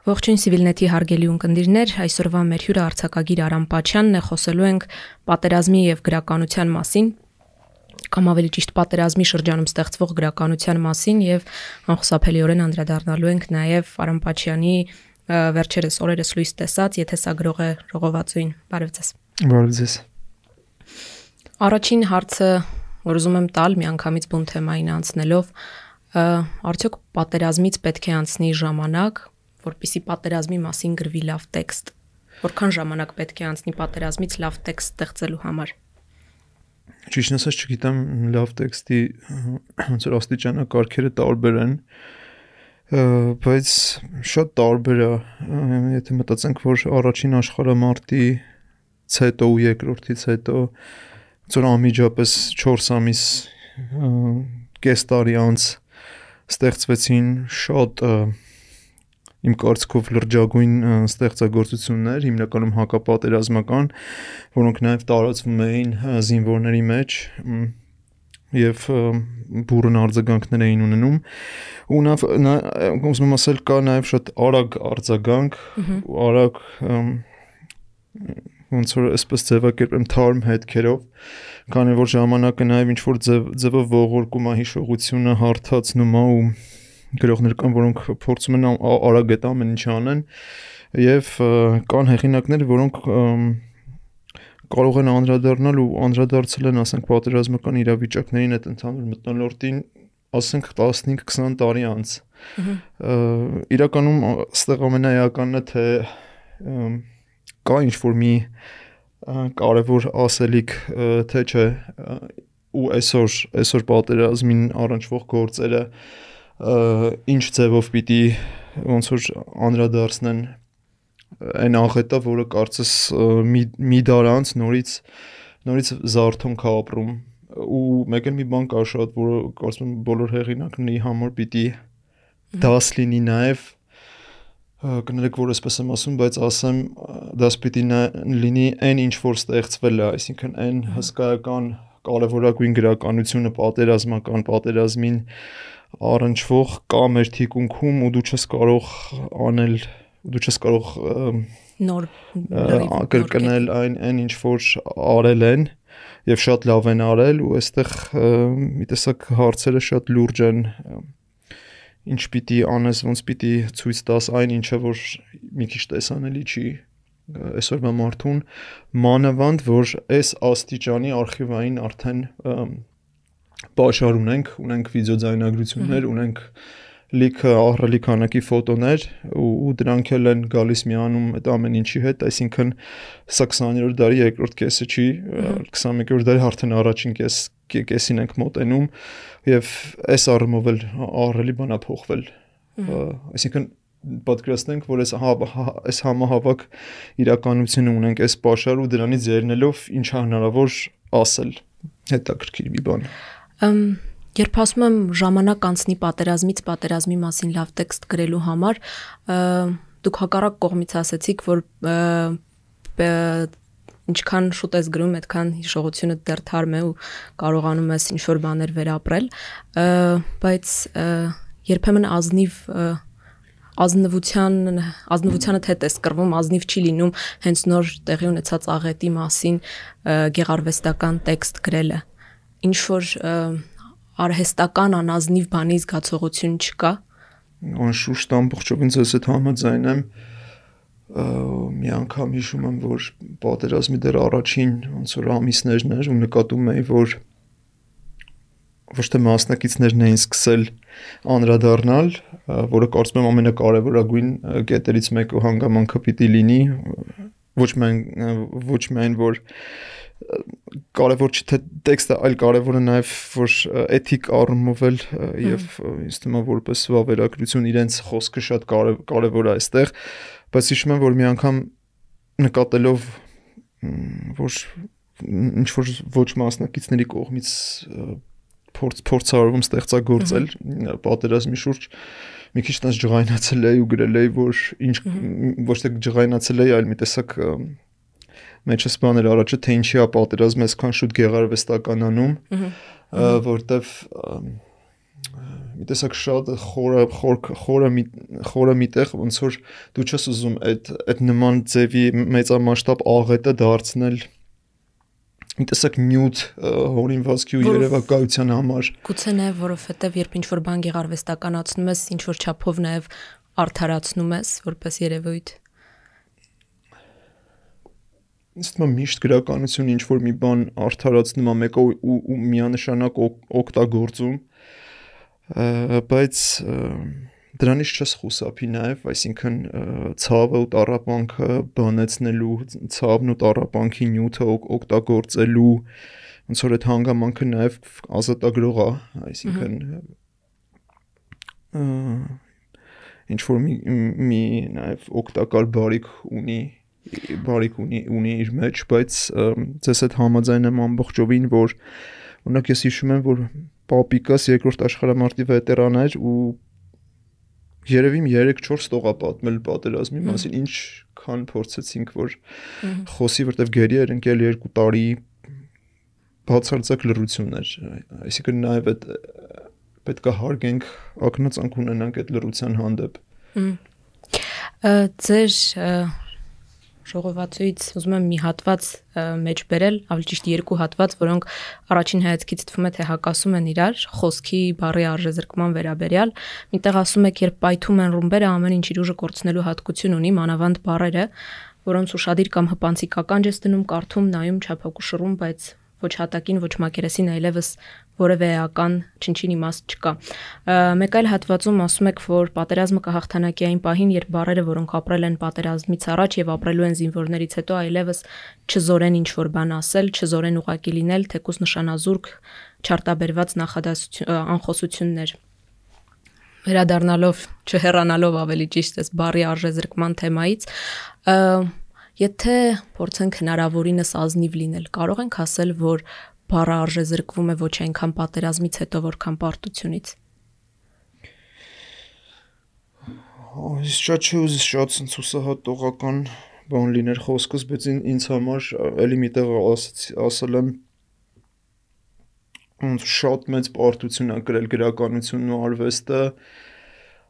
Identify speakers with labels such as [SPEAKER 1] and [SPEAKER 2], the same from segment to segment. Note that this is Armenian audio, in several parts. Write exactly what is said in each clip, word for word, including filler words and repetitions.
[SPEAKER 1] Ողջույն Civilnet-ի հարգելի ունկնդիրներ, այսօրվա մեր հյուրը արձակագիր Արամ Պաչյանն է, խոսելու ենք պատերազմի եւ գրականության մասին, կամ ավելի ճիշտ պատերազմի շրջանում ստեղծվող գրականության մասին եւ անխուսափելիորեն անդրադառնալու ենք նաեւ Արամ Պաչյանի վերջերս օրերս լույս տեսած Եթեսագրող է ժողովածուին։ Բարև ձեզ։
[SPEAKER 2] Բարև ձեզ։
[SPEAKER 1] Առաջին հարցը, որ ուզում եմ տալ միանգամից բուն թեմային անցնելով, արդյոք պատերազմից պետք է անցնի ժամանակ, որպեսզի պատերազմի մասին գրվի լավ տեքստ։ Որքան ժամանակ պետք է անցնի պատերազմից լավ տեքստ ստեղծելու համար։
[SPEAKER 2] Ճիշտն ասած չգիտեմ լավ տեքստի ոնց որ աստիճանակարգերը տարբեր են, բայց շատ տարբեր է, եթե մտածենք, որ առաջին աշխարհամարտից հետո ու երկրորդից հետո ոնց որ անմիջապես չորս ամիս կես տարի անց ստեղծվեցին շատ իմ կարծիքով լրջագույն ստեղծագործություններ, հիմնականում հակապատերազմական, որոնք նաև տարածվում էին զինվորների մեջ եւ բուրըն արձագանքներ էին ունենում, ու նա ուզում եմ ասել կա նաև շատ արագ արձագանք, արագ ոնց որ այսպես ձևակերպեմ թարմ հետքերով, քանի որ ժամանակը նաև ինչ որ ձևով ողորկում է հիշողությունը, հարթացնում է ու գրողներ կան, որոնք փորձում են արագ այդ ամեն ինչ անեն եւ կան հեղինակներ, որոնք կարող են անդրադառնալ ու անդրադարձել են, ասենք, պատերազմական իրավիճակներին այդ ընդհանուր մթնոլորտին, ասենք տասնհինգ քսան տարի անց։ Իրականում այստեղ ամենաեականն է, թե կա ինչ-որ մի կարևոր ասելիք, թե չէ, ու այսօր այսօր պատերազմին առնչվող գործերը ինչ ձևով պիտի ոնց որ անդրադարձնեն այն աղետը, որը կարծես մի, մի դար անց նորից նորից զարթոնք է ապրում, ու մեկ էլ մի բան կա շատ, որը կարծում եմ բոլոր հեղինակների համար պիտի դաս լինի նաև, կներեք, որ այսպես եմ ասում, բայց ասեմ դաս պիտի լինի այն ինչ որ ստեղծվել է, այսինքն այն հսկայական կարևորագույն գրականությունը պատերազմական, պատերազմին առնչվող կա մեր թիկունքում ու դու չես կարող անել, դու չես կարող
[SPEAKER 1] նոր
[SPEAKER 2] կրկնել այն այն ինչ որ արել են եւ շատ լավ են արել, ու այստեղ մի տեսակ հարցերը շատ լուրջ են, ինչ պիտի անես, ոնց պիտի ցույց տաս այն ինչը որ մի քիչ տեսանելի չի այսօրվա մարդուն, մանավանդ որ այս աստիճանի արխիվային արդեն պաշար ունենք, ունենք վիդեոձայնագրություններ, ունենք լիքը ահռելի քանակի ֆոտոներ ու դրանք էլ են գալիս միանում այդ ամեն ինչի հետ, այսինքն սա քսաներորդ դարի երկրորդ կեսը չի, քսանմեկերորդ դարի արդեն առաջին կես կեսին ենք մոտենում եւ այս առումով էլ ահռելի բան է փոխվել, այսինքն պատկերացնենք, որ այս այս համահավաք իրականությունը ունենք այս պաշար ու դրանից ելնելով ինչ է հնարավոր ասել, հետաքրքիր մի բան։
[SPEAKER 1] Երբ ասում եմ ժամանակ անցնի պատերազմից պատերազմի մասին լավ տեքստ գրելու համար, դուք հակառակ կողմից ասեցիք, որ ինչքան շուտ ես գրում, այդքան հիշողությունը դեռ թարմ է ու կարողանում ես ինչ-որ բաներ վերապրել, բայց երբեմն ազնիվ ազնվության ազնվությանդ հետ է կռվում, ազնիվ չի լինում հենց նոր տեղի ունեցած աղետի մասին գեղարվեստական տեքստ գրելը, ինչ որ արհեստական անազնիվ բանի զգացողություն չկա։
[SPEAKER 2] Անշուշտ ամբողջովին ձեզ հետ համաձայն եմ, մի անգամ հիշում եմ, որ պատերազմի դեռ առաջին ոնց որ ամիսներն էր ու նկատում էի, որ ոչ թե մասնակիցներն էին սկսել անդրադառնալ, որը կարծում եմ ամենակարևորագույն կետերից մեկը ու հանգամանքը պիտի լինի, ոչ միայն ոչ միայն որ կարևոր չէ թե տեքստը, այլ կարևորը նաև որ էթիկ առումով էլ եւ ինձ թվում է որպես վավերագրություն իրենց խոսքը շատ կարևոր է այստեղ, բայց հիշում եմ, որ մի անգամ նկատելով որ ինչ որ ոչ մասնակիցների կողմից փորձ փորձարարում ստեղծագործել պատերազմի շուրջ մի քիչ տես ջղայնացել էի ու գրել էի, որ ինչ ոչ թե ջղայնացել էի, այլ մի տեսակ մեջս բաներ առաջը, թե ինչի է պատերազմը այսքան շուտ գեղարվեստականանում, որտեվ մի տեսակ շատ խորը խորը խորը միտեղ ոնց որ դու չես ուզում այդ այդ նման ձևի մեծամասշտաբ աղետը դարձնել մի տեսակ նյութ հորինվածքի ու երևակայության համար
[SPEAKER 1] գուցե նաև որովհետև երբ ինչ որ բան գեղարվեստականացնում ես ինչ որ չափով նաև արդարացնում ես որպես երևույթ
[SPEAKER 2] Իսկ միշտ գրականություն ինչ որ մի բան արդարացնում է մեկը ու միանշանակ օգտագործում բայց դրանից չես խուսափի նաև, այսինքն ցավը ու տառապանքը բանեցնելու, ցավն ու տառապանքի նյութը օգտագործելու ոնց որ այդ հանգամանքը նաև ազատագրող է, այսինքն ինչ որ մի մի նաև օգտակար բարիք ունի բարիք ունի ունի իր մեջ, բայց ձեզ հետ համաձայն եմ ամբողջովին, որ օրինակ ես հիշում եմ, որ պապիկս երկրորդ աշխարհամարտի վետերան էր ու երևի երեք չորս տող է պատմել պատերազմի մասին, ինչքան փորձեցինք, որ խոսի, որտեվ գերի էր ընկել երկու տարի բացարձակ լռություն էր, այսինքն նաև այդ պետք է հարգենք, ակնածանք ունենանք այդ լռության հանդեպ։
[SPEAKER 1] Ձեր ժողովածուից ուզում եմ մի հատված մեջ բերել, ավելի ճիշտ երկու հատված, որոնք առաջին հայացքից թվում է թե հակասում են իրար, խոսքի բառի արժեզրկման վերաբերյալ։ Միտեղ ասում եք, երբ պայթում են ռումբերը, ամեն ինչ իր ուժը կորցնելու հատկություն ունի, մանավանդ բառերը, որոնց ուշադիր կամ հպանցիկ ականջ ես դնում, կարդում, նայում, չափակուշռում, բայց ոչ հատակին, ոչ մակերեսին այլևս որևէ էական չնչին իմաստ չկա։ Մեկ այլ հատվածում ասում եք, որ պատերազմը կհաղթանակի այն պահին, երբ բառերը, որոնք ապրել են պատերազմից առաջ եւ ապրելու են զինվորներից հետո, այլևս չզորեն ինչ որ բան ասել, չզորեն ուղակի լինել, թեկուզ նշանազուրկ, չարտաբերված նախադասություն, անխոսություններ։ Վերադառնալով, չհեռանալով ավելի ճիշտ էս բառի արժեզրկման թեմայից, եթե փորձենք հնարավորինս ազնիվ լինել, կարող ենք ասել, որ բառը արժեզրկվում է ոչ այնքան պատերազմից հետո, որքան պարտությունից։
[SPEAKER 2] Այս շատ չի ուզիս շատ ցուսահատողական բան լիներ խոսքս, բայց ինձ համար էլի միտեղ ասել եմ շատ մեծ պարտություն է կրել գրականությունն ու արվեստը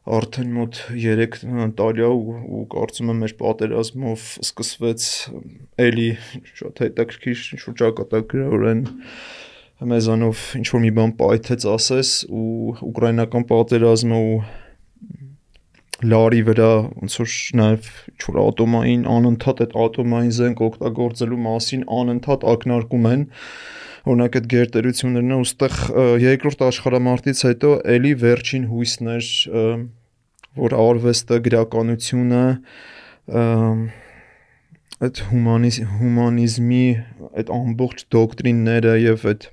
[SPEAKER 2] արդեն մոտ երեք տարի ու կարծում եմ մեր պատերազմով սկսվեց էլի շատ հետաքրքիր ինչ-որ ճակատագրորեն մեզանով ինչ-որ մի բան պայթեց ասես ու ուկրաինական պատերազմը ու լարի վրա ոնց որ նաև ինչ-որ ատոմային անընդհատ այդ ատոմային զենք օգտագործելու մասին անընդհատ ակնարկում են օրինակ այդ գերտերություններն ու ստեղ երկրորդ աշխարհամարտից հետո էլի վերջին հույսն էր որ արվեստը գրականությունը այդ հումանիզմի այդ ամբողջ դոկտրինները եւ այդ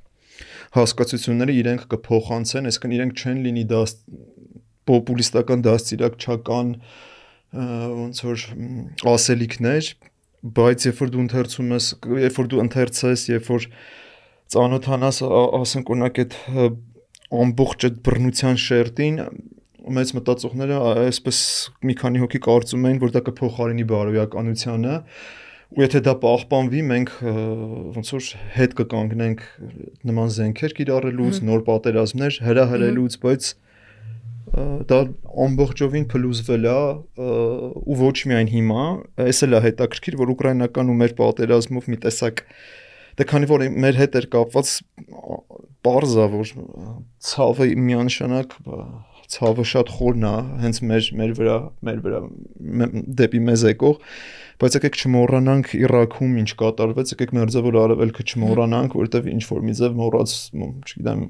[SPEAKER 2] հասկացությունները իրենք կփոխանցեն, այսինքն իրենք չեն լինի դա պոպուլիստական դաստիարակչական ոնց որ ասելիքներ, բայց երբ որ դու ընթերցում ես, երբ որ դու ընթերցես, երբ որ ծանոթանաս ասենք օրինակ այդ ամբողջ այդ բռնության շերտին մեծ մտածողները այսպես մի քանի հոգի կարծում էին որ դա կփոխարինի բարոյականությունը ու եթե դա պահպանվի մենք ոնց որ հետ կկանգնենք նման զենքեր կիրառելուց նոր պատերազմներ հրահրելուց բայց դա ամբողջովին փլուզվել է ու ոչ միայն հիմա էս էլ է հետաքրքիր որ ուկրաինական ու մեր պատերազմով մի տեսակ Դե քանի որ մեր հետ էր կապված պարզ է որ ցավը միանշանակ ցավը շատ խորն է հենց մեր մեր վրա մեր վրա դեպի մեզ եկող բայց եկեք չմոռանանք Իրաքում ինչ կատարվեց եկեք մերձավոր արևելքը չմոռանանք որովհետև ինչ որ մի ձև մոռաց չգիտեմ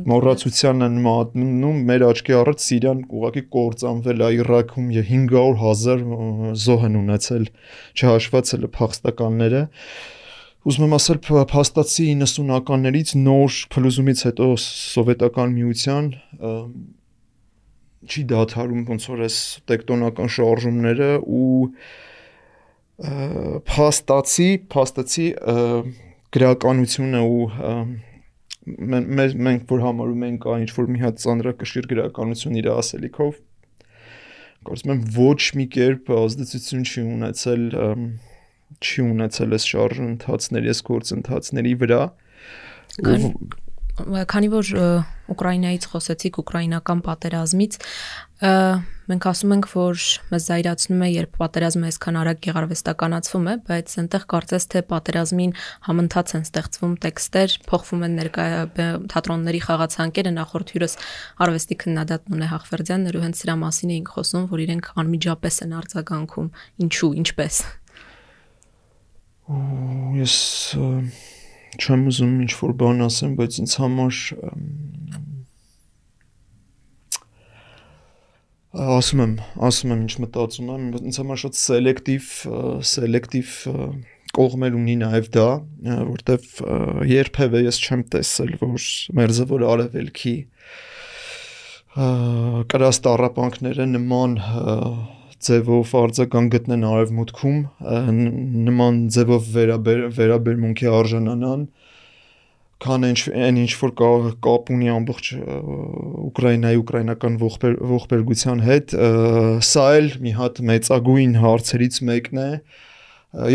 [SPEAKER 2] մոռացության են մատնում մեր աչքի առաջ Սիրիան ուղղակի կործանվել է Իրաքում հինգ հարյուր հազար զոհ են ունեցել չհաշված էլ փախստականները Ուզում եմ ասել փաստացի իննսունականներից նոր փլուզումից հետո սովետական միության չի դադարում ոնց որ այս տեկտոնական շարժումները ու փաստացի փաստացի գրականությունը ու մենք որ համարում ենք այն ինչ որ մի հատ ծանրակշիռ գրականություն իր ասելիքով կարծում եմ ոչ մի կերպ ազդեցություն չի ունեցել չի ունեցել այս շարժընթացների, այս գործընթացների վրա
[SPEAKER 1] քանի որ Ուկրաինայից խոսեցիք, ուկրաինական պատերազմից, մենք ասում ենք, որ մեզ զայրացնում է, երբ պատերազմը այսքան արագ գեղարվեստականացվում է, բայց այնտեղ կարծես թե պատերազմին համընթաց են ստեղծվում տեքստեր, փոխվում են ներկա թատրոնների խաղացանկերը, նախորդ հյուրս արվեստի քննադատն Ունե Հախվերդյանն էր ու հենց սրա մասին էինք խոսում, որ իրենք անմիջապես են արձագանքում, ինչու, ինչպես։
[SPEAKER 2] Ես չեմ ուզում ինչ-որ բան ասեմ, բայց ինձ համար ասում եմ, ասում եմ ինչ մտածում եմ, ինձ համար շատ սելեկտիվ, սելեկտիվ կողմեր ունի նաև դա, որտեվ երբևէ ես չեմ տեսել, որ Մերձավոր Արևելքի կրած տառապանքները նման ձևով արձագանք գտնեն արևմուտքում, նման ձևով վերաբերմունքի արժանանան, քան այն ինչ որ կապ ունի ամբողջ Ուկրաինայի ուկրաինական ողբերգության հետ, սա էլ մի հատ մեծագույն հարցերից մեկն է,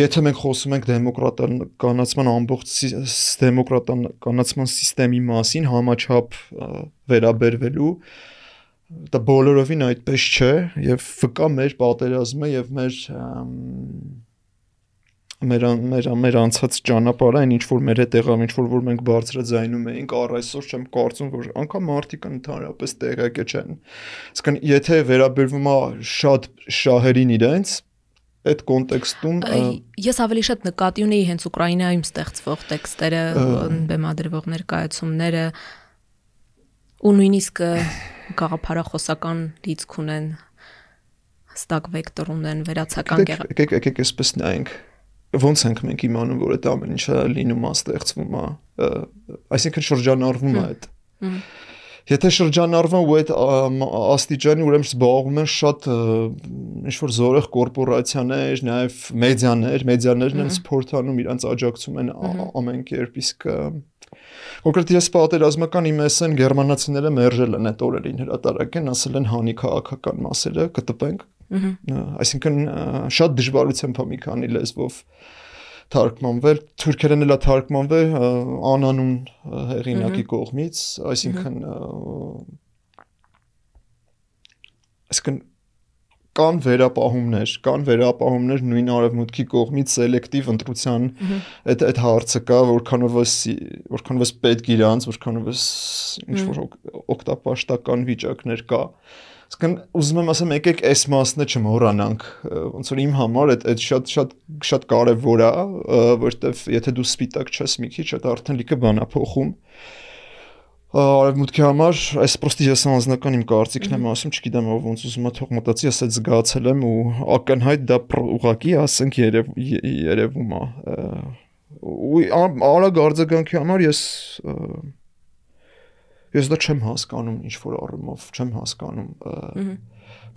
[SPEAKER 2] եթե մենք խոսում ենք դեմոկրատականացման ամբողջ դեմոկրատականացման սիստեմի մասին համաչափ վերաբերվելու, դա բոլորովին այդպես չէ եւ վկա մեր պատերազմը եւ մեր մեր մեր մեր անցած ճանապարհը, այն ինչ որ մեր հետ եղավ, ինչ որ որ մենք բարձրաձայնում էինք, առ այսօր չեմ կարծում, որ անգամ մարդիկ ընդհանրապես տեղյակ չեն։ Իսկն եթե վերաբերվում է շատ շահերին իրենց այդ կոնտեքստում
[SPEAKER 1] ես ավելի շատ նկատի ունեի հենց Ուկրաինայում ստեղծվող տեքստերը, բեմադրվող ներկայացումները ու նույնիսկ գաղափարախոսական լիցք ունեն, հստակ վեկտոր ունեն, վերացական
[SPEAKER 2] գեղարվեստական։ Եկեք, եկեք այսպես նայենք, ոնց ենք մենք իմանում, որ այդ ամեն ինչը լինում է, ստեղծվում է, այսինքն շրջանառվում է այդ։ Եթե շրջանառվում ու այդ աստիճանի ուրեմն զբաղվում են շատ ինչ-որ զորեղ կորպորացիաներ, նաև մեդիաներ, մեդիաներն են սփորթանում, իրանց աջակցում են ամեն կերպ, իսկ կոնկրետ ես պատերազմական իմ էսեն գերմանացիները մերժել են այդ օրերին հրատարակեն, ասել են հանի քաղաքական մասերը կտպենք, այսինքն շատ դժվարությամբ է մի քանի լեզվով թարգմանվել, թուրքերեն էլ է թարգմանվել անանուն հեղինակի կողմից, այսինքն այսինքն կան վերապահումներ, կան վերապահումներ նույն արևմուտքի կողմից սելեկտիվ ընտրության այդ այդ հարցը կա, որքանով որքանով պետք իրանց, որքանով ինչ որ օգտապաշտական վիճակներ կա։ Իսկն ուզում եմ ասեմ, եկեք այս մասն չմոռանանք, ոնց որ իմ համար այդ այդ շատ շատ շատ կարևոր է, որտեվ եթե դու սպիտակ չես մի քիչ, այդ արդեն լիքը բան է փոխում։ Արևմուտքի համար այս պրոստի ես անձնական իմ կարծիքն եմ ասում, չգիտեմ ով ոնց ուզում է թող մտածի, ես այդ զգացել եմ ու ակնհայտ դա ուղղակի ասենք երևում է։ Ու արագ արձագանքի համար ես ես դա չեմ հասկանում ինչ որ առումով, չեմ հասկանում։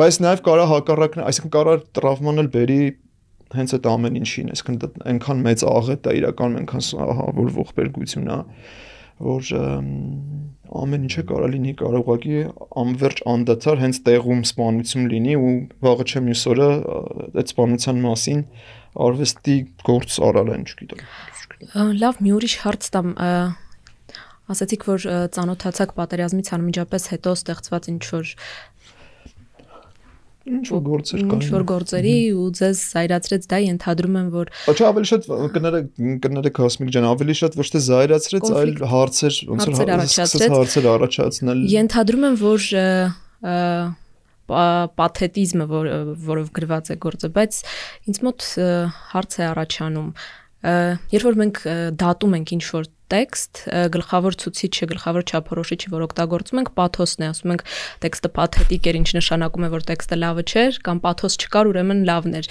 [SPEAKER 2] Բայց նաև կարա հակառակն, այսինքն կարա տրավման էլ բերի հենց այդ ամեն ինչին, այսինքն այնքան մեծ աղետ է իրականում, այնքան որ ողբերգություն է, որ ամեն ինչը կարա լինի, կարող ուղղակի անverջ անդադար հենց տեղում սպանություն լինի ու վաղը չէ մյուս օրը այդ սպանության մասին արվեստի գործ արալ են, չգիտեմ։
[SPEAKER 1] Լավ, մի ուրիշ հարց տամ, ասացիք, որ ծանոթացաք պատերազմից անմիջապես հետո ստեղծված ինչ-որ
[SPEAKER 2] ինչ-որ գործեր կային։
[SPEAKER 1] Ինչ-որ գործերի ու ձեզ զայրացրեց դա, ենթադրում եմ, որ
[SPEAKER 2] Ոչ, ավելի շատ կներեք, կներեք Հասմիկ ջան, ավելի շատ ոչ թե զայրացրեց, այլ հարցեր, ոնց որ հարցեր առաջացնել։
[SPEAKER 1] Ենթադրում եմ, որ պաթետիզմը, որով գրված է գործը, բայց ինձ մոտ հարց է առաջանում, երբ որ մենք դատում ենք ինչ-որ տեքստ, գլխավոր ցուցիչը, գլխավոր չափորոշիչը, որ օգտագործում ենք, պաթոսն է, ասում ենք տեքստը պաթետիկ էր, ինչ նշանակում է, որ տեքստը լավը չէր, կամ պաթոս չկար, ուրեմն լավն էր։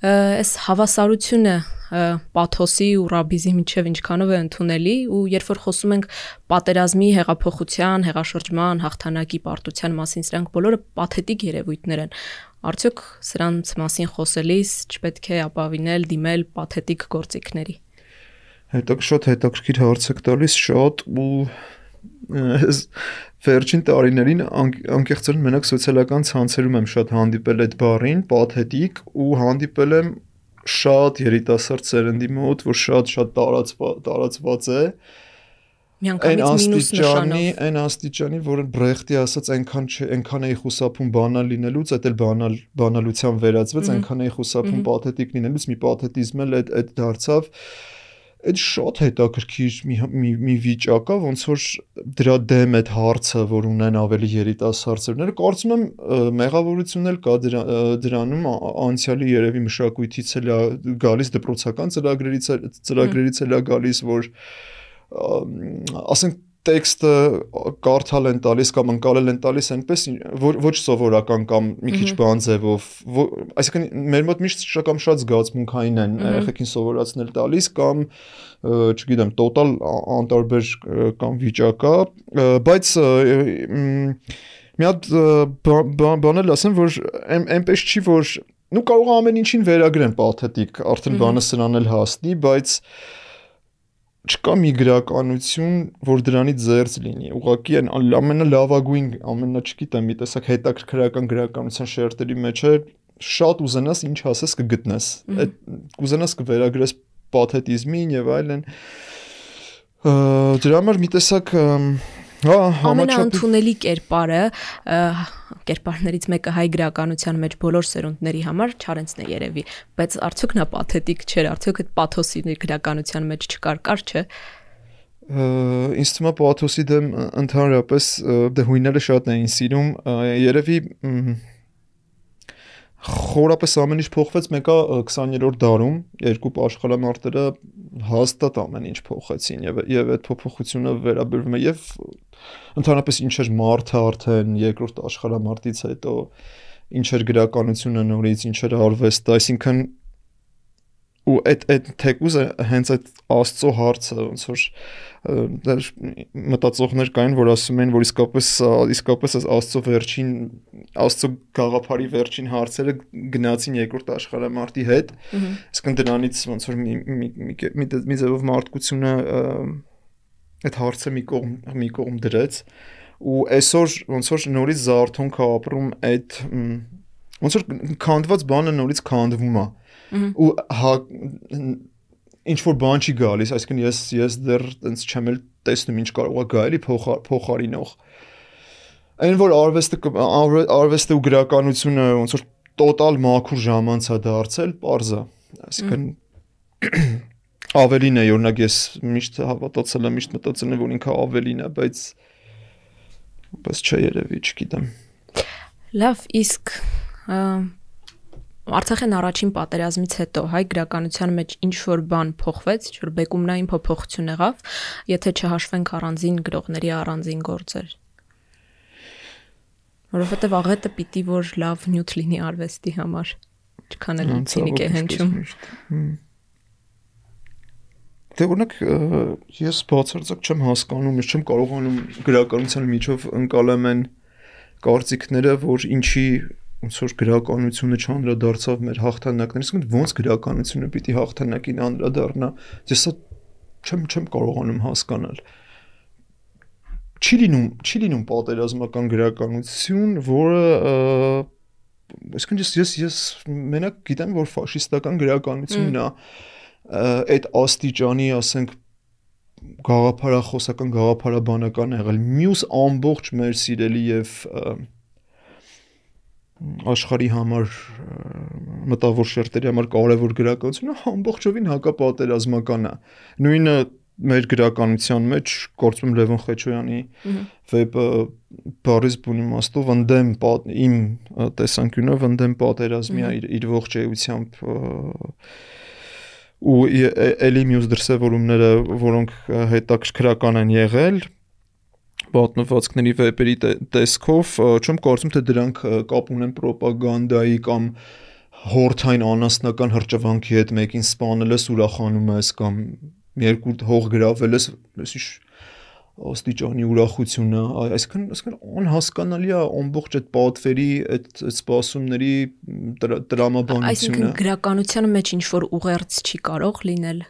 [SPEAKER 1] Այս հավասարությունը պաթոսի ու ռաբիզի միջև ինչքանով է ընդունելի, ու երբ որ խոսում ենք պատերազմի, հեղափոխության, հեղաշրջման, հաղթանակի, պարտության մասին, սրանք բոլորը պաթետիկ երևույթներ են։ Արդյոք սրանց մասին խոսելիս չպետք է ապավինել, դիմել պաթետիկ գործիքների։
[SPEAKER 2] Հետո շատ հետաքրքիր հարց եք տալիս, շատ ու վերջին տարիներին անկեղծորեն մենակ սոցիալական ցանցերում եմ շատ հանդիպել այդ բառին, պաթետիկ, ու հանդիպել եմ շատ երիտասարդ սերնդի մոտ, որ շատ շատ տարածված է,
[SPEAKER 1] Միանգամից մինուս նշանով։
[SPEAKER 2] Այն աստիճանի, որ Բրեխտի ասած այնքան չէ, այնքան էի խուսափում բանալ լինելուց, այդ էլ բանալ բանալության վերածվեց, այնքան էի խուսափում պաթետիկ լինելուց, մի պաթետիզմ էլ այդ այդ դարձավ։ Այդ շատ հետաքրքիր մի մի, մի վիճակ է, ոնց որ դրա դեմ այդ հարցը, որ ունեն ավելի երիտասարդները, կարծում եմ մեղավորություն էլ կա դրա, դրանում, անցյալի երևի մշակույթից էլ է գալիս, դպրոցական ծրագրերից ծրագրերից էլ է գալիս, որ ասենք տեքստը կարդալ են տալիս կամ ընկալել են տալիս այնպես որ ոչ սովորական կամ մի քիչ բան ձևով, այսինքն մեր մոտ միշտ շակամ շատ զգացմունքային են երեխեքին սովորացնել տալիս կամ չգիտեմ տոտալ անտարբեր կամ վիճակա, բայց մի հատ բան էլ ասեմ, որ այնպես չի, որ նու կարող է ամեն ինչին վերագրեն պաթետիկ, արդեն բանը սրան էլ հասնի, բայց չկա մի գրականություն, որ դրանից զերծ լինի։ Ուղղակի այն ամենալավագույն, ամենա չգիտեմ, մի տեսակ հետաքրքրական գրականության շերտերի մեջ է, շատ ուզենաս ինչ ասես կգտնես։ Այդ կուզենաս կվերագրես պաթետիզմին եւ այլն։ Դրա համար մի տեսակ հա
[SPEAKER 1] ամենաընդունելի կերպարը կերպարներից մեկը հայ գրականության մեջ բոլոր սերունդների համար Չարենցն է երևի, բայց արդյոք նա պաթետիկ չէր, արդյոք այդ պաթոսի գրականության մեջ չկար, կար չէ։
[SPEAKER 2] Ինձ թվում է պաթոսի դեմ ընդհանրապես դե հույները շատ էին սիրում, երևի խորապես ամեն ինչ փոխվեց մեկը քսաներորդ դարում, երկու աշխարհամարտերը հաստատ ամեն ինչ փոխեցին եւ եւ այդ փոփոխությունը վերաբերվում է եւ ընդհանրապես ինչ էր մարդը արդեն երկրորդ աշխարհամարտից հետո, ինչ էր գրականությունը նորից, ինչ էր արվեստը, այսինքն ու այդ այդ թեկուզ հենց այդ Աստծո հարցը ոնց որ մտածողներ կային, որ ասում են, որ իսկապես իսկապես Աստծո վերջին Աստծո գաղափարի վերջին հարցերը գնացին երկրորդ աշխարհամարտի հետ, իսկն դրանից ոնց որ մի մի մի ձևով մարդկությունը այդ հարցը մի կողմ մի կողմ դրեց ու այսօր ոնց որ նորից զարթոնք է ապրում այդ ոնց որ քանդված բանը նորից քանդվում է ու ինչ որ բան չի գալիս, այսինքն ես ես դեռ տենց չեմ էլ տեսնում ինչ կարող է գալ էլի փոխարինող։ Այն որ արվեստը արվեստը ու գրականությունը ոնց որ տոտալ մաքուր ժամանց է դարձել, պարզ է, այսինքն ավելին է, օրինակ ես միշտ հավատացել եմ, միշտ մտածել եմ, որ ինքը ավելին է, բայց բայց չէ երևի, չգիտեմ։
[SPEAKER 1] Լավ, իսկ Արցախյան առաջին պատերազմից հետո հայ գրականության մեջ ինչ որ բան փոխվեց, ինչ որ բեկումնային փոփոխություն եղավ, եթե չհաշվենք առանձին գրողների առանձին գործեր։ Որովհետև աղետը պիտի որ լավ նյութ լինի արվեստի համար, չքան էլ ցինիկ է հնչում։
[SPEAKER 2] Դե օրինակ ես բացարձակ չեմ հասկանում, ես չեմ կարողանում գրականության միջով ընկալեմ այն կարծիքները, որ ինչի ոնց որ գրականությունը չանդրադարձավ մեր հաղթանակներից, ոնց ոնց գրականությունը պիտի հաղթանակին անդրադառնա, ես սա չեմ չեմ կարողանում հասկանալ։ Չի լինում, չի լինում պատերազմական գրականություն, որը այսինքն ես ես ես մենակ գիտեմ, որ ֆաշիստական գրականությունն է այդ աստիճանի, ասենք գաղափարախոսական, գաղափարաբանական եղել, մյուս ամբողջ մեր սիրելի եւ աշխարհի համար մտավոր շերտերի համար կարևոր գրականությունը ամբողջովին հակապատերազմական է։ Նույնը մեր գրականության մեջ գործում Լևոն Խեչոյանի վեպը Փարիզ բուն իմաստով ընդդեմ իմ տեսանկյունով ընդդեմ պատերազմի իր, իր ողջ էությամբ ու էլի մյուս դրսևորումները, որոնք հետաքրքրական են եղել պատմվածքների վեպերի տեսքով, չեմ կարծում թե դրանք կապ ունեն պրոպագանդայի կամ հորթային անասնական հրճվանքի հետ մեկին սպանել ես, ուրախանում ես կամ երկու հող գրավել ես, այսինչ աստիճանի ուրախությունը, այսինքն այսինքն անհասկանալի է ամբողջ այդ պատվերի, այդ սպասումների տրամաբանությունը։
[SPEAKER 1] Այսինքն գրականության մեջ ինչ որ ուղերձ չի կարող լինել,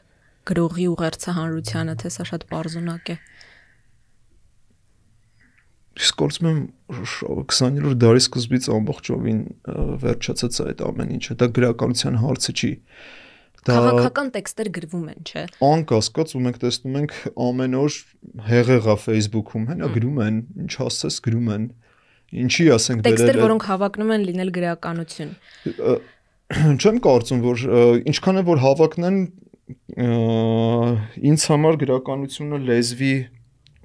[SPEAKER 1] գրողի ուղերձը հանրությանը, թե սա շատ պարզունակ է։
[SPEAKER 2] Ես կարծում եմ քսաներորդ դարի սկզբից ամբողջովին վերջացած է այդ ամեն ինչը, դա գրականության հարցը չի,
[SPEAKER 1] Քաղաքական տեքստեր գրվում են, չէ։
[SPEAKER 2] Անկասկած ու մենք տեսնում ենք ամեն օր հեղեղա Facebook-ում, հենա գրում են, ինչ ասես գրում են։ Ինչի ասենք
[SPEAKER 1] դերել տեքստեր, որոնք հավակնում են լինել գրականություն։
[SPEAKER 2] Չեմ կարծում, որ ինչքան է որ հավակնեն ինձ համար գրականությունը լեզվի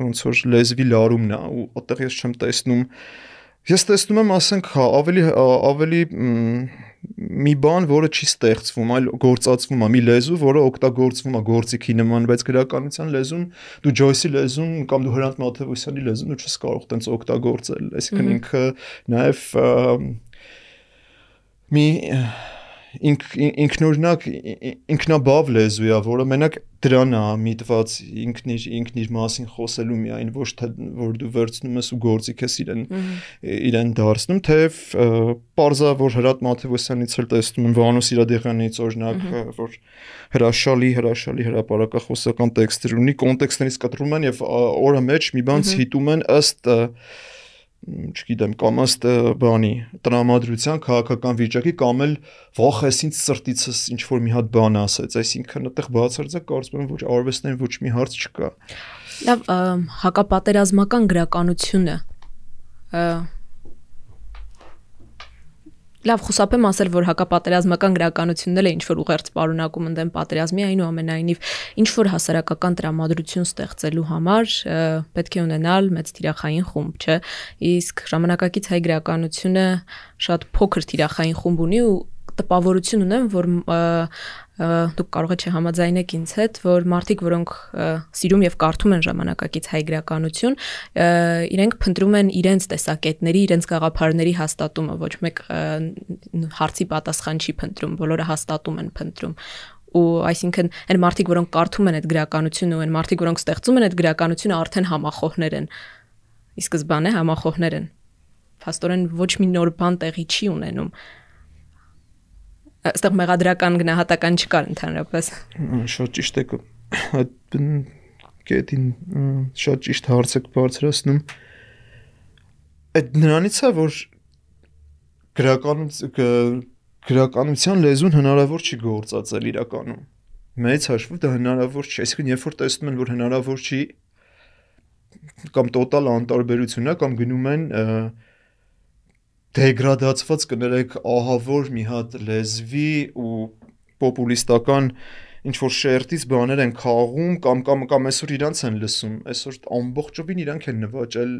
[SPEAKER 2] ոնց որ լեզվի լարումն է ու այդտեղ ես չեմ տեսնում։ Ես տեսնում եմ, ասենք, ավելի ավելի մի բան, որը չի ստեղծվում, այլ գործածվում է, մի լեզու, որը օգտագործվում է գործիքի նման, բայց գրականության լեզուն, դու Ջոյսի լեզուն կամ դու Հրանտ Մաթևոսյանի լեզուն ու չես կարող տենց օգտագործել, այսինքն ինքը նաև մի ինքնուրույն ինքնաբավ լեզու է, որը մենակ դրան է միտված ինքնիր ինքնիր մասին խոսելու միայն, ոչ թե որ դու վերցնում ես ու գործիք ես իրեն իրեն դարձնում, թեև պարզա որ Հրանտ Մաթևոսյանից էլ տեսնում եմ Վանո Սիրադեղյանից օրինակ, որ հրաշալի հրաշալի հրապարակախոսական տեքստեր ունի, կոնտեքստներից կտրում են եւ օրը մեջ մի բան ցիտում են ըստ չգիտեմ, կամ ըստ բանի տրամադրության քաղաքական վիճակի կամ էլ վախ ես ինձ սրտիցս ինչ որ մի հատ բան ասեց, այսինքն այդտեղ բացարձակ կարծում եմ որ արվեստային ոչ մի հարց չկա։
[SPEAKER 1] Լավ, հակապատերազմական գրականությունը Լավ, խուսափեմ ասել, որ հակապատերազմական գրականությունն էլ է ինչ որ ուղերձ պարունակում ընդդեմ պատերազմի, այնուամենայնիվ ինչ որ հասարակական տրամադրություն ստեղծելու համար պետք է ունենալ մեծ թիրախային խումբ, չէ՞։ Իսկ ժամանակակից հայ գրականությունը շատ փոքր թիրախային խումբ ունի ու տպավորություն ունեմ, որ դուք կարող եք չհամաձայնեք ինձ հետ, որ մարդիկ, որոնք սիրում եւ կարդում են ժամանակակից հայ գրականություն, իրենք փնտրում են իրենց տեսակետների, իրենց գաղափարների հաստատումը, ոչ մեկ հարցի պատասխան չի փնտրում, բոլորը հաստատում են փնտրում։ Ու այսինքն այն մարդիկ, որոնք կարդում են այդ գրականությունը ու այն մարդիկ, որոնք ստեղծում են այդ գրականությունը, արդեն համախոհներ են։ Ի սկզբանե համախոհներ են։ Փաստորեն ոչ մի նոր բան տեղի չի ունենում։ Այստեղ մեղադրական գնահատական չկար ընդհանրապես։
[SPEAKER 2] Շատ ճիշտ եք այդ կետին շատ ճիշտ հարց եք բարձրացնում։ Այդ նրանից է որ գրականության լեզուն հնարավոր չի գործածել իրականում։ Մեծ հաշվով դա հնարավոր չի, այսինքն երբ որ տեսնում են որ հնարավոր չի կամ տոտալ անտարբերություն է կամ գնում են դեգրադացված կներեք ահավոր մի հատ լեզվի ու պոպուլիստական ինչ որ շերտից բաներ են քաղում կամ կամ կամ այսօր իրանց են լսում, այսօր ամբողջովին իրանք են նվաճել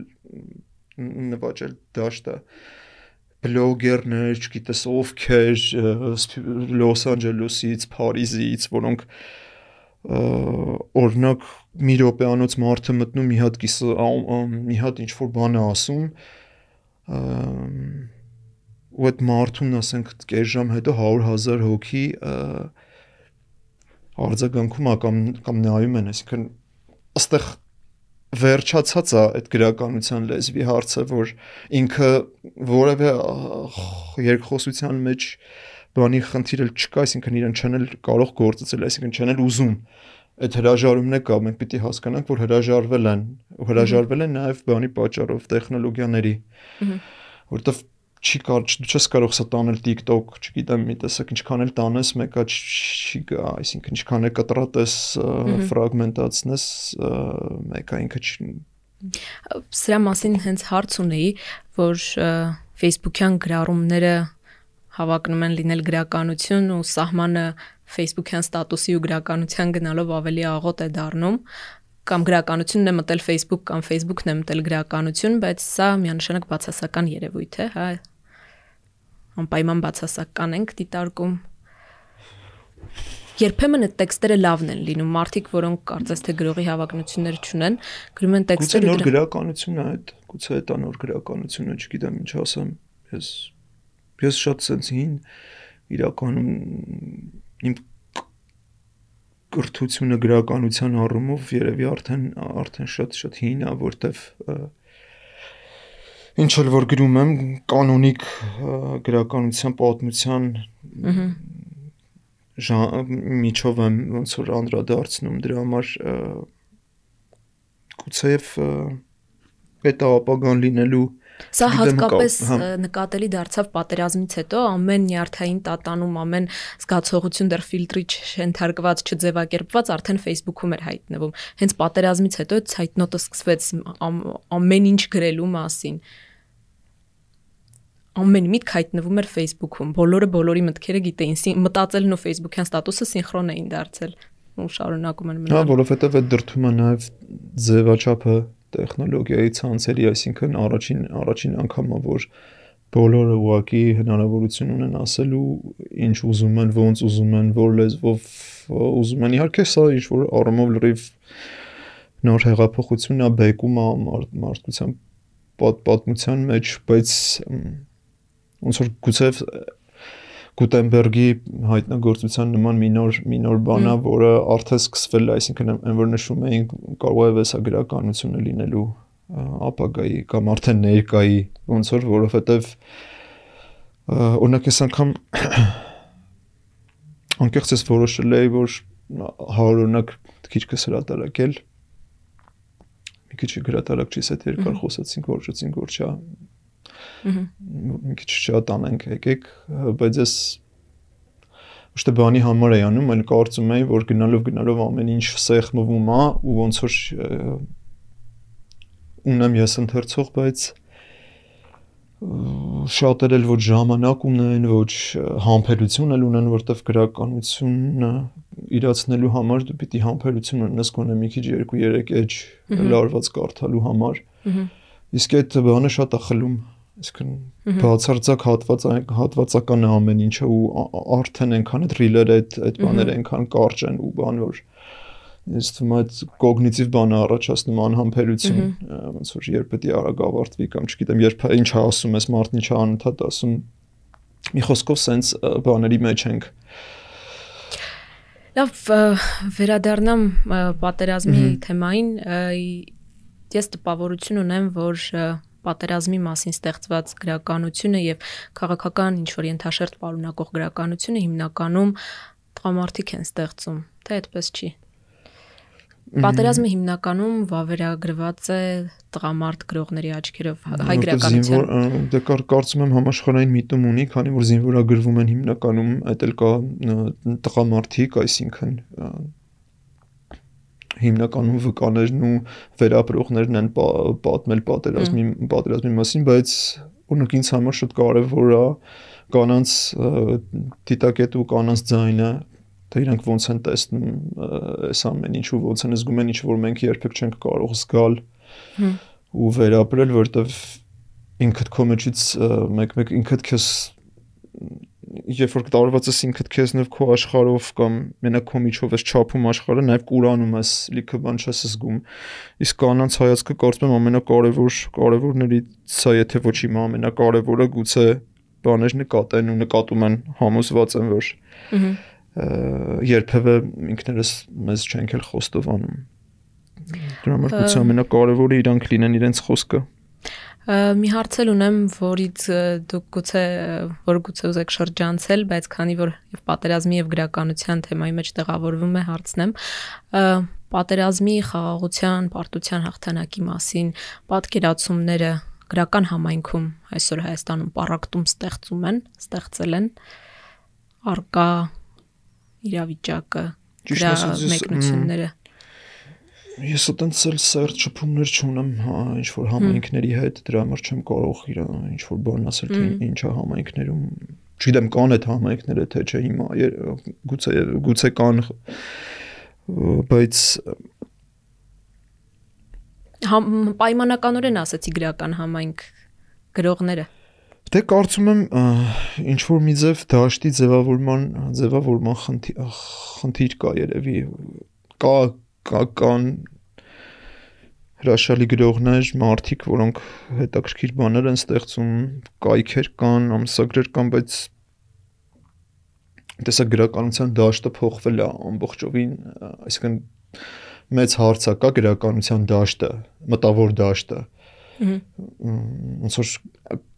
[SPEAKER 2] նվաճել դաշտը բլոգերներ, չգիտես ովքեր Լոս Անջելեսից, Փարիզից, որոնք օրինակ մի րոպեանոց մարդը մտնում մի հատ կիսը մի հատ ինչ որ բան է ասում ու այդ մարդուն ասենք կես ժամ հետո հարյուր հազար հոգի արձագանքում է կամ կամ նայում են, այսինքն այստեղ վերջացած է այդ գրականության լեզվի հարցը, որ ինքը որևէ երկխոսության մեջ բանի խնդիր էլ չկա, այսինքն իրեն չեն էլ կարող գործել, այսինքն չեն էլ ուզում այդ հրաժարումն է կա, մենք պիտի հասկանանք, որ հրաժարվել են, հրաժարվել են նաև բանի պատճառով տեխնոլոգիաների, որովհետև չի կար, դու չես կարող սա տանել TikTok, չգիտեմ, մի տեսակ ինչքան էլ տանես, մեկը չի գա, այսինքն ինչքան էլ կտրատես, ֆրագմենտացնես, մեկը ինքը չի։
[SPEAKER 1] Սրա մասին հենց հարց ունեի, որ Facebook-յան գրառումները հավակնում են լինել գրականություն ու սահմանը Facebook-յան ստատուսի ու գրականության գնալով ավելի աղոտ է դառնում, կամ գրականությունն է մտել Facebook կամ Facebook-ն է մտել գրականություն, բայց սա միանշանակ բացասական երևույթ է, հա, անպայման բացասական ենք դիտարկում։ Երբեմն այդ տեքստերը լավն են լինում, մարդիկ, որոնք կարծես թե գրողի հավակնություններ չունեն, գրում են տեքստեր։
[SPEAKER 2] Գուցե նոր գրականություն է այդ, գուցե դա նոր գրականություն է, չգիտեմ ինչ ասեմ, ես ես շատ sense հին իրականում իմ կրթությունը գրականության առումով երևի արդեն արդեն շատ շատ հին է, որտեվ ինչ էլ որ գրում եմ կանոնիկ գրականության պատմության միջով եմ ոնց որ անդրադարձնում դրա համար գուցեև այդ ապագան լինելու
[SPEAKER 1] Սա հատկապես նկատելի դարձավ պատերազմից հետո, ամեն նյարդային տատանում, ամեն զգացողություն դեռ ֆիլտրի չընթարկված, չձևակերպված արդեն Facebook-ում էր հայտնվում։ Հենց պատերազմից հետո այդ ցայտնոտը սկսվեց ամեն ինչ գրելու մասին։ Ամեն միտք հայտնվում էր Facebook-ում։ Բոլորը բոլորի մտքերը գիտեին, մտածելն ու Facebook-յան ստատուսը սինխրոն էին դարձել ու շարունակում են մնալ։
[SPEAKER 2] Հա, որովհետև այդ դրդում է նաև ձևաչափը տեխնոլոգիայի ցանցերի, այսինքն առաջին առաջին անգամը որ բոլորը ուղղակի հնարավորություն ունեն ասելու ինչ ուզում են, ոնց ուզում են, որ լեզվով ուզում են։ Իհարկե սա ինչ որ առումով լրիվ նոր հեղափոխություն է, բեկում է մարդկության պատմության մեջ, բայց ոնց որ գուցե Գուտենբերգի հայտնագործության նման մի նոր մի նոր բան է, որը արդեն սկսվել է, այսինքն այն որ նշում էին կարող է վեսագրականությունը լինելու ապագայի կամ արդեն ներկայի, ոնց որ որովհետև օրինակ այս անգամ անկեղծ ես որոշել էի, որ հարյուր օրինակ քիչքս հրատարակել, մի քիչ հրատարակչից հետ երկար խոսացինք, որոշեցինք որ չա մի քիչ շատանենք եկեք, բայց ես ոչ թե բանի համար էի անում, այլ կարծում էի, որ գնալով գնալով ամեն ինչ սեղմվում է ու ոնց որ ունեմ ես ընթերցող, բայց շատեր էլ ոչ ժամանակ ունեն, ոչ համբերություն էլ ունեն, որտեվ գրականությունը իրացնելու համար դու պիտի համբերություն ունենաս գոնե մի քիչ երկու երեք էջ լարված կարդալու համար։ Իսկ այդ բանը շատ է խլում, այսինքն բացարձակ հատված հատվածական է ամեն ինչը ու արդեն այնքան այդ ռիլերը այդ այդ բաները այնքան կարճ են ու բան որ ես թվում է այդ կոգնիտիվ բանը առաջացնում անհամբերություն, ոնց որ երբ պետք է արագ ավարտվի կամ չգիտեմ երբ ինչ ասում ես մարդն ինչ անընդհատ ասում, մի խոսքով սենց բաների մեջ ենք։
[SPEAKER 1] Լավ, վերադառնամ պատերազմի թեմային, ես տպավորություն ունեմ, որ պատերազմի մասին ստեղծված գրականությունը եւ քաղաքական ինչ որ ենթաշերտ պարունակող գրականությունը հիմնականում տղամարդիկ են ստեղծում, թե այդպես չի։ Պատերազմը հիմնականում վավերագրված է տղամարդ գրողների աչքերով հայ գրականության։
[SPEAKER 2] Դե կարծում եմ համաշխարհային միտում ունի, քանի որ զինվորագրվում են հիմնականում այդ էլ կա տղամարդիկ, այսինքն հիմնականում վկաներն ու վերապրողներն են պատմել պատերազմի պատերազմի մասին, բայց օրինակ ինձ համար շատ կարևոր է կանանց դիտակետը ու կանանց ձայնը, թե իրանք ոնց են տեսնում այս ամեն ինչ ու ոնց են զգում են ինչ որ մենք երբեք չենք կարող զգալ ու վերապրել, որտեվ ինքդ քո մեջից մեկ-մեկ ինքդ քեզ երբ որ տարված ես ինքդ քեզնով քո աշխարհով կամ մենակ քո միջով ես չափում աշխարհը, նաև կուրանում ես, լիքը բան չես զգում։ Իսկ կանանց հայացքը կարծում եմ ամենակարևոր կարևորներից է, եթե ոչ իմ ամենակարևորը, գուցե բաներ նկատեն ու նկատում են, համոզված եմ, որ երբևէ ինքներս մեզ չենք էլ խոստովանում։ Դրա համար գուցե ամենակարևորը իրանք լինեն իրենց խոսքը։
[SPEAKER 1] Մի հարց էլ ունեմ, որից դուք գուցե որ գուցե ուզեք շրջանցել, բայց քանի որ եւ պատերազմի եւ գրականության թեմայի մեջ տեղավորվում է հարցնեմ, պատերազմի խաղաղության, պարտության հաղթանակի մասին պատկերացումները գրական համայնքում այսօր Հայաստանում պառակտում ստեղծում են, ստեղծել են արկա իրավիճակը, դրա մեկնությունները։
[SPEAKER 2] Ես այդպես էլ սերտ շփումներ չունեմ, ինչ որ համայնքների հետ, դրա համար չեմ կարող իր ինչ որ բան ասել, թե ինչ է համայնքներում։ Չգիտեմ կան այդ համայնքները, թե չէ հիմա, գուցե գուցե կան, բայց
[SPEAKER 1] պայմանականորեն ասացի գրական համայնք գրողները։
[SPEAKER 2] Դե կարծում եմ ինչ որ մի ձև դաշտի ձևավորման ձևավորման խնդիր կա երևի, կա կան հրաշալի գրողներ, մարդիկ, որոնք հետաքրքիր բաներ են ստեղծում, կայքեր կան, ամսագրեր կան, բայց տեսակ գրականության դաշտը փոխվել է ամբողջովին, այսինքն մեծ հարց է կա գրականության դաշտը, մտավոր դաշտը։ Ոնց որ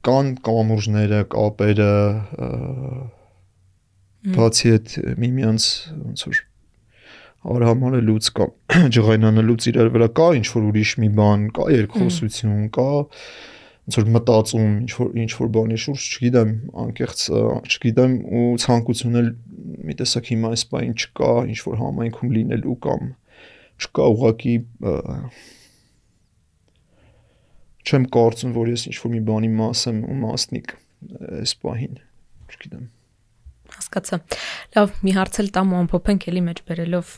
[SPEAKER 2] կան կամուրջները, կապերը, բացի այդ միմյանց ոնց որ արհամարելուց կամ ջղայնանելուց իրար վրա կա ինչ որ ուրիշ մի բան, կա երկխոսություն, կա ոնց որ մտածում ինչ որ ինչ որ բանի շուրջ, չգիտեմ, անկեղծ չգիտեմ ու ցանկություն էլ մի տեսակ հիմա այս բան չկա, ինչ որ համայնքում լինելու կամ չկա ուղղակի չեմ կարծում, որ ես ինչ որ մի բանի մաս եմ ու մասնիկ այս բանին, չգիտեմ։
[SPEAKER 1] Հասկացա։ Լավ, մի հարց էլ տամ ու ամփոփենք էլի մեջ բերելով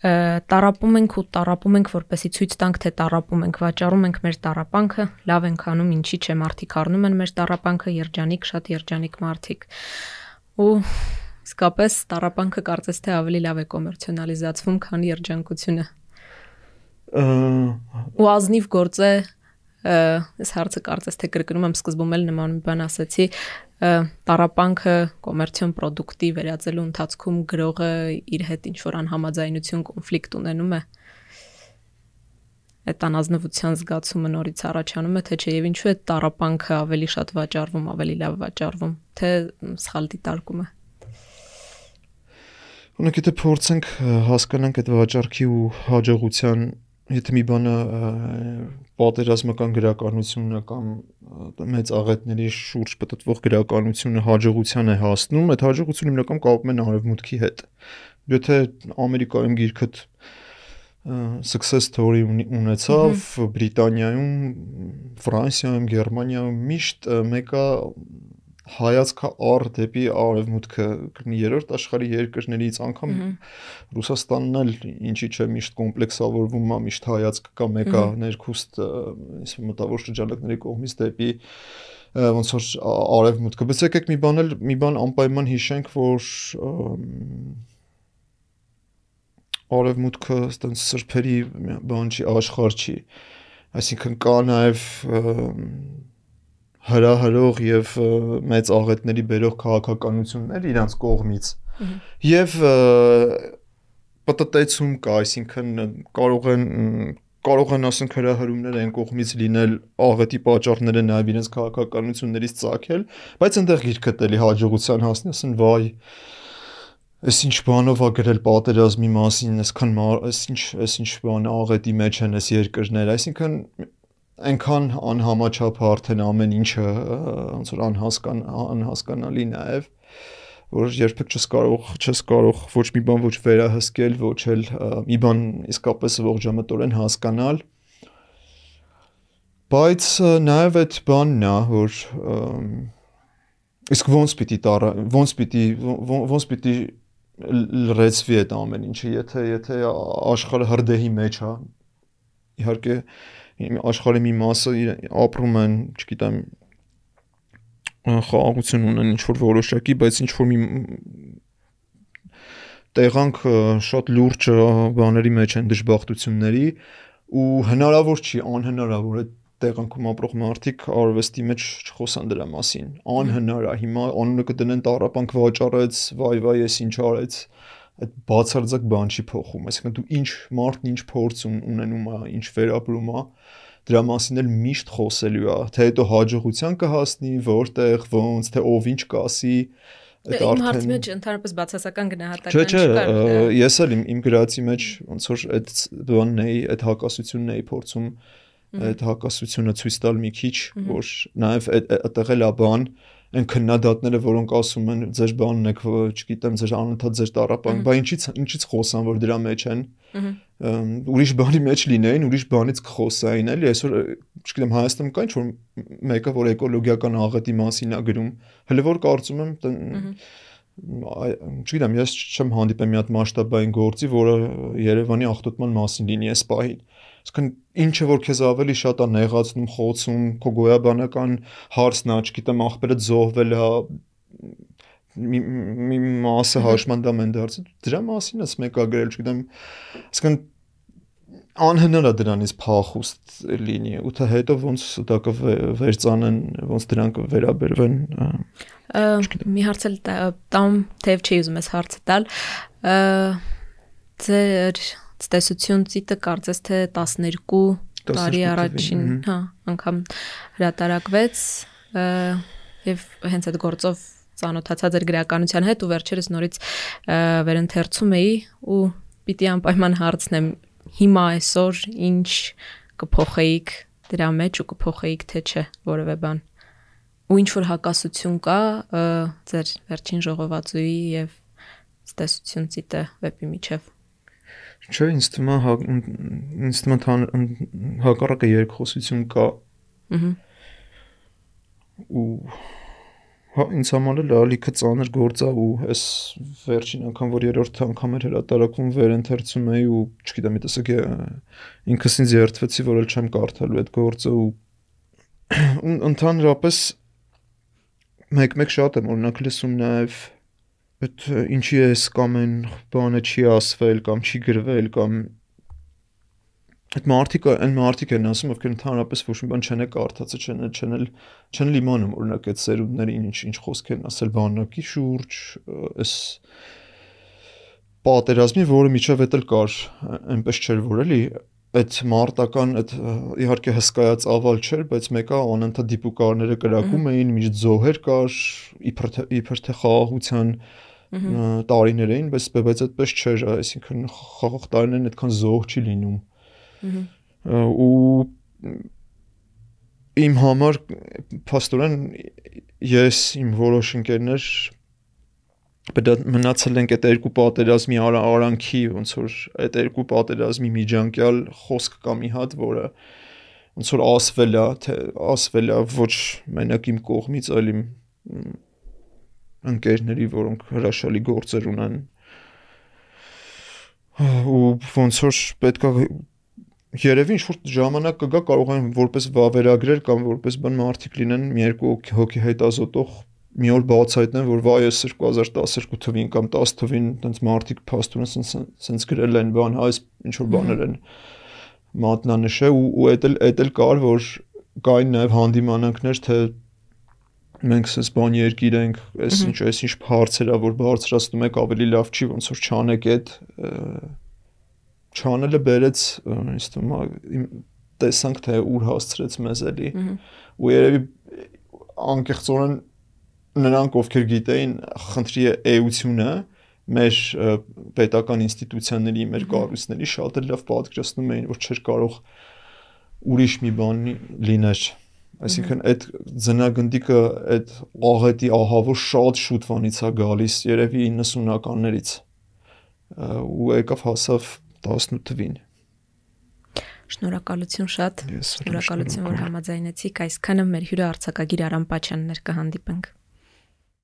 [SPEAKER 1] տարապում ենք ու տարապում ենք, որպեսզի ցույց տանք, թե տարապում ենք, վաճառում ենք մեր տարապանքը, լավ ենք անում, ինչի՞ չէ, մարդիկ առնում են մեր տարապանքը, երջանիկ, շատ երջանիկ մարդիկ։ Ու իսկապես տարապանքը կարծես թե ավելի լավ է կոմերցիոնալիզացվում, քան երջանկությունը։ Ու ազնիվ գործ է, այս հարցը կարծես թե կրկնում եմ, սկզբում էլ նման մի բան ասացի, տարապանքը կոմերցիոն պրոդուկտի վերածելու ընթացքում գրողը իր հետ ինչ-որ անհամաձայնություն, կոնֆլիկտ ունենում է։ Այդ անազնվության զգացումը նորից առաջանում է, թե չէ եւ ինչու է տարապանքը ավելի շատ վաճառվում, ավելի լավ վաճառվում, թե սխալ դիտարկում է։
[SPEAKER 2] Ունենք եթե փորձենք հասկանանք այդ վաճառքի ու հաջողության, եթե մի բանը պատերազմական գրականությունը կամ մեծ աղետների շուրջ պատտվող գրականությունը հաջողության է հասնում, այդ հաջողությունը հիմնական կապում են արևմուտքի հետ։ Եթե Ամերիկայում գիրքդ success story ունեցավ, Բրիտանիայում, Ֆրանսիայում, Գերմանիայում միշտ մեկը հայացքը առ դեպի արևմուտքը կրնի երրորդ աշխարհի երկրներից անգամ Ռուսաստանն էլ ինչի՞ չէ միշտ կոմպլեքսավորվում է, միշտ հայացքը կա մեկը ներքուստ այս մտավոր շրջանակների կողմից դեպի ոնց որ արևմուտքը։ Բայց եկեք մի բան էլ մի բան անպայման հիշենք, որ արևմուտքը այդպես սրբերի բան չի, աշխարհ չի, այսինքն կա նաև հրահրող եւ մեծ աղետների բերող քաղաքականություններ իրանց կողմից եւ պատտեցում կա, այսինքն կարող են կարող են ասենք հրահրումներ այն կողմից լինել աղետի պատճառները նաեւ իրենց քաղաքականություններից ծագել, բայց այնտեղ գիրքը տելի հաջողության հասնի, ասեն վայ Այս ինչ բանով է գրել պատերազմի մասին, այսքան այս ինչ այս ինչ բան աղետի մեջ են այս երկրները, այսինքն այնքան անհամաչափ արդեն ամեն ինչը ոնց որ անհասկան անհասկանալի նաև որ երբեք չես կարող չես կարող ոչ մի բան ոչ վերահսկել, ոչ էլ մի բան իսկապես ողջամտորեն հասկանալ, բայց նաև այդ բանն է, որ իսկ ոնց պիտի տարա ոնց պիտի ոնց պիտի լրացվի այդ ամեն ինչը, եթե եթե աշխարհը հրդեհի մեջ է, իհարկե աշխարհի մի մասը ապրում են, չգիտեմ, խաղաղություն ունեն ինչ-որ որոշակի, բայց ինչ-որ մի տեղանք շատ լուրջ բաների մեջ են դժբախտությունների ու հնարավոր չի, անհնարավոր է տեղանքում ապրող մարդիկ արվեստի մեջ չխոսան դրա մասին, անհնար է, հիմա անունը կդնեն տարապանք վաճառեց, վայ վայ, ես ինչ արեց, այդ բացարձակ բան չի փոխում, այսինքն դու ինչ մարդն ինչ փորձ ունենում է, ինչ վերապրում է, դրա մասին էլ միշտ խոսելու է, թե հետո հաջողության կհասնի, որտեղ, ոնց, թե ով ինչ կասի,
[SPEAKER 1] այդ արդեն իմ հարցի մեջ ընդհանրապես բացասական գնահատական
[SPEAKER 2] չկար։ Չէ, չէ, ես էլ իմ իմ գրածի մեջ ոնց որ այդ բանն էի, այդ հակասությունն էի փորձում այդ հակասությունը ցույց տալ մի քիչ, որ նաև այդտեղ էլ է բան, այն քննադատները, որոնք ասում են ձեր բանն եք, չգիտեմ, ձեր անընդհատ ձեր տարապանք, բա ինչից ինչից խոսան, որ դրա մեջ են։ Ուրիշ բանի մեջ լինեին, ուրիշ բանից կխոսային, էլի, այսօր, չգիտեմ, Հայաստանում կա ինչ-որ մեկը, որ էկոլոգիական աղետի մասին է գրում, հələ որ կարծում եմ, չգիտեմ, ես չեմ հանդիպել մի հատ մասշտաբային գործի, որը Երևանի աղտոտման մասին լինի այս պահին։ Այսինքն ինչը որ քեզ ավելի շատ է նեղացնում, խոցում, քո գոյաբանական հարցն է, չգիտեմ, աղբերը զոհվել է, մի մասը հաշմանդամ են դարձել, դրա մասին ես մեկը գրել, չգիտեմ, այսինքն անհնար է դրանից փախուստ լինի, ու թե հետո ոնց դա կվերծանեն, ոնց դրանք կվերաբերվեն։
[SPEAKER 1] Մի հարց էլ տամ, թեև չի ուզում ես հարցը տալ, ձեր տեսություն ծիտը կարծես թե տասներկու տարի առաջին, հա, անգամ հրատարակվեց եւ հենց այդ գործով ծանոթացա ձեր գրականության հետ ու վերջերս նորից վերընթերցում էի ու պիտի անպայման հարցնեմ հիմա այսօր ինչ կփոխեիք դրա մեջ ու կփոխեիք թե չէ որևէ բան։ Ու ինչ որ հակասություն կա ձեր վերջին ժողովածուի եւ ստեսություն ցիտը վեպի միջև։
[SPEAKER 2] Չէ, ինձ թվում է ինձ թվում է հակառակը երկխոսություն կա։ Ահա։ Ու հա ինձ համար էլ ալիքը ծանր գործ է ու այս վերջին անգամ որ երրորդ անգամ էր հրատարակվում վերընթերցում էի ու չգիտեմ մի տեսակ ինքս ինձ երդվեցի որ էլ չեմ կարդալու այդ գործը ու ընդհանրապես մեկ-մեկ շատ եմ օրինակ լսում նաև այդ ինչի է կամ այն բանը չի ասվել կամ չի գրվել կամ այդ մարդիկ այն մարդիկ են ասում ովքեր ընդհանրապես ոչ մի բան չեն կարդացել չեն չեն էլ չեն իմանում օրինակ այդ սերունդներին ինչ ինչ խոսք են ասել բանակի շուրջ այս պատերազմի որը միջև էլ կար այնպես չէր որ էլի այդ մարտական այդ իհարկե հսկայածավալ չէր բայց մեկը անընդհատ դիպուկարները կրակում էին միշտ զոհեր կար իբր թե իբր թե խաղաղության տարիներ էին բայց բայց այդպես չէր այսինքն խաղաղ տարիներն այդքան զոհ չի լինում ու իմ համար փաստորեն ես իմ որոշ ընկերներ մնացել ենք այդ երկու պատերազմի արանքի ոնց որ այդ երկու պատերազմի միջանկյալ խոսք կա մի հատ որը ոնց որ ասվել է թե ասվել է ոչ մենակ իմ կողմից այլ իմ ընկերների որոնք հրաշալի գործեր ունեն ու ոնց որ պետք է Երևի ինչ-որ ժամանակ կգա կարող են որպես վավերագրեր կամ որպես բան մարդիկ լինեն մի երկու հոգի հետազոտող մի օր բացահայտեն որ վայ էս երկու հազար տասներկու թվին կամ տասը թվին տենց մարդիկ փաստորեն սենց գրել են բան այս ինչ-որ բաներ են մատնանշել ու ու էդ էլ էդ էլ կար որ կային նաև հանդիմանանքներ թե մենք սենց բան երկիր ենք այս ինչ այս ինչ հարցեր ա որ բարձրացնում եք ավելի լավ չի ոնց որ չանեք այդ Չանելը բերեց ինձ թվում է տեսանք թե ուր հասցրեց մեզ էլի ու երևի անկեղծորեն նրանք ովքեր գիտեին խնդրի էությունը մեր պետական ինստիտուցիաների մեր կառույցների շատ էլ լավ պատկերացնում էին որ չէր կարող ուրիշ մի բան լիներ այսինքն այդ ձնագնդիկը այդ աղետի ահավոր շատ շուտվանից է գալիս երևի իննսունականներից ու եկավ հասավ տասնութ թվին
[SPEAKER 1] Շնորհակալություն շատ շնորհակալություն որ համաձայնեցիք այսքանը մեր հյուրը արձակագիր Արամ Պաչյանն էր կհանդիպենք